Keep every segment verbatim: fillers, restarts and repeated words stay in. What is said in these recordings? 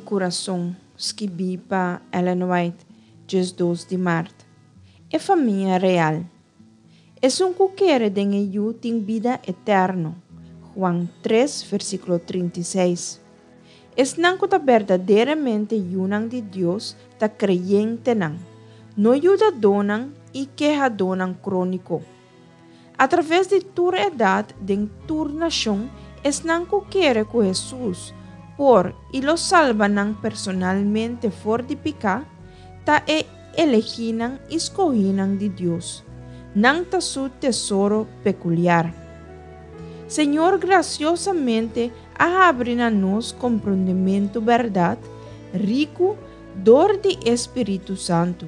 kurason, skibí pa Ellen White, diesdos di mart. E famia real. Esun ku kere den e Yu tin bida eterno. Juan tres, versíkulo trinta i seis. Esnan ku ta berdaderamente yunan di Dios ta kreyentenan, no yudadónan i kehadónan króniko. Atraves di tur edat, den tur nashon, esnan ku kere ku Hesus por i lo salba nan personalmente for di piká, ta e elegínan i skohínan di Dios. Nan ta su tesoro pekuliar. Señor grasiosamente a habri na nos komprondementu bèrdat riku dor di e Spiritu Santu,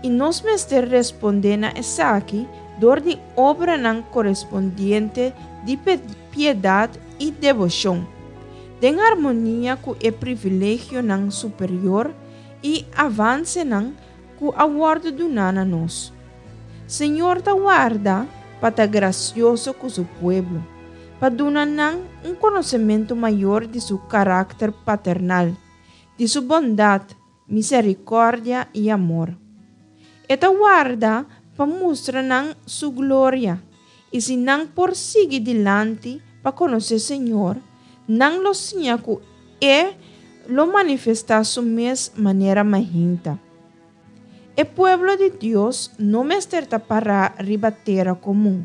i nos mester respondé na esaki dor di obranan korespondiente di piedat i deboshon, den harmonia ku e privilegionan superior i avansenan ku a wòrdu duná na nos. Señor ta warda pa ta grasioso ku su pueblo, pa duna nan un konosementu mayor di su karakter paternal, di su bondat, miserikòrdia i amor. E ta warda pa mustra nan su gloria, i si nan por sigui dilanti pa konosé Señor, nan lo siña ku E lo manifestá su mes manera mahinta. E pueblo di Dios no mester ta pará riba tera komun,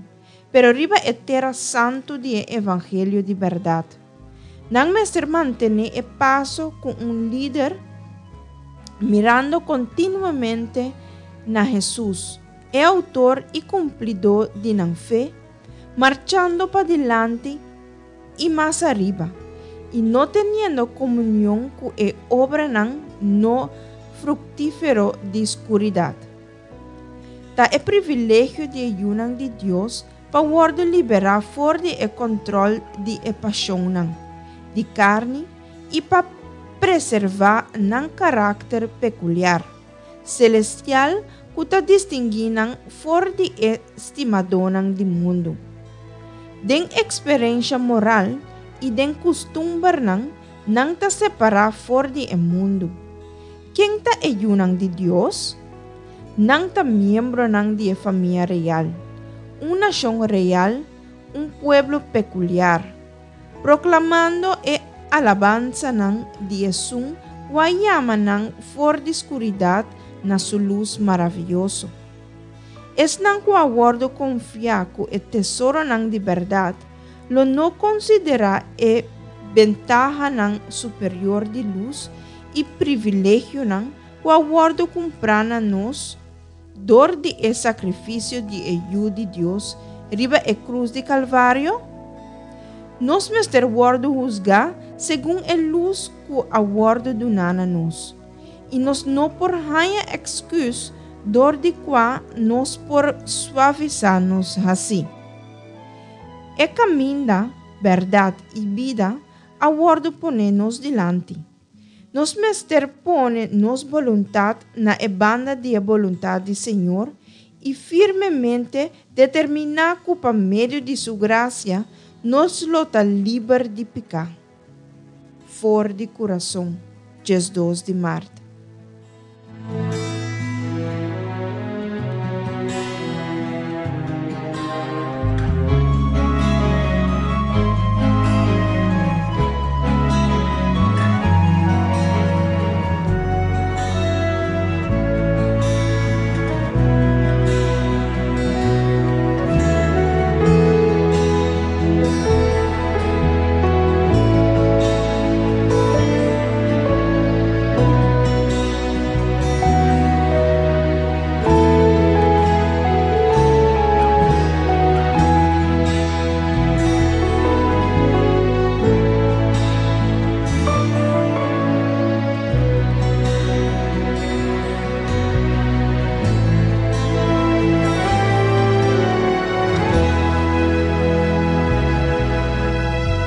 pero riba e tera santu di e evangelio di bèrdat. Nan mester mantené e paso ku un lider mirando kontinuamente na Hesus, e outor i kumplidó di nan fe, marchando padilanti i mas ariba, i no teniendo komunion ku e obranan no fruktífero di skuridat. Ta e privilegio di e yunan di Dios pa wòrdu liberá for di e kòntròl di e pashonnan di karni i pa preservá nan karakter pekuliar, selestial ku ta distinguí nan for di e stimadónan di mundu. Den eksperensha moral i den kustumbernan nan ta separá for di e mundu. Ken ta e yunan di Dios? Nan ta miembronan di e famia real, un nashon real, un pueblo pekuliar, proklamando e alabansanan di Esun ku a yama nan for di skuridat na su lus maravioso. Esnan ku a wòrdu konfiá ku e tesoronan di bèrdat lo no konsiderá e bentahanan superior di lus i privilegionan ku a wòrdu kumprá na nos dor di e sakrifisio di e Yu di Dios riba e krus di Kalvario? Nos mester wòrdu husgá segun e lus ku a wòrdu duná na nos, i nos no por haña èksküs dor di kua nos por suavisá nos hasí. E kaminda, bèrdat i bida a wòrdu poné nos dilanti. Nos mester pone nos boluntat na e banda di e boluntat di Señor i firmemente determiná ku pa medio di Su grasia nos lo ta liber di piká. For di kurason, diesdos di mart.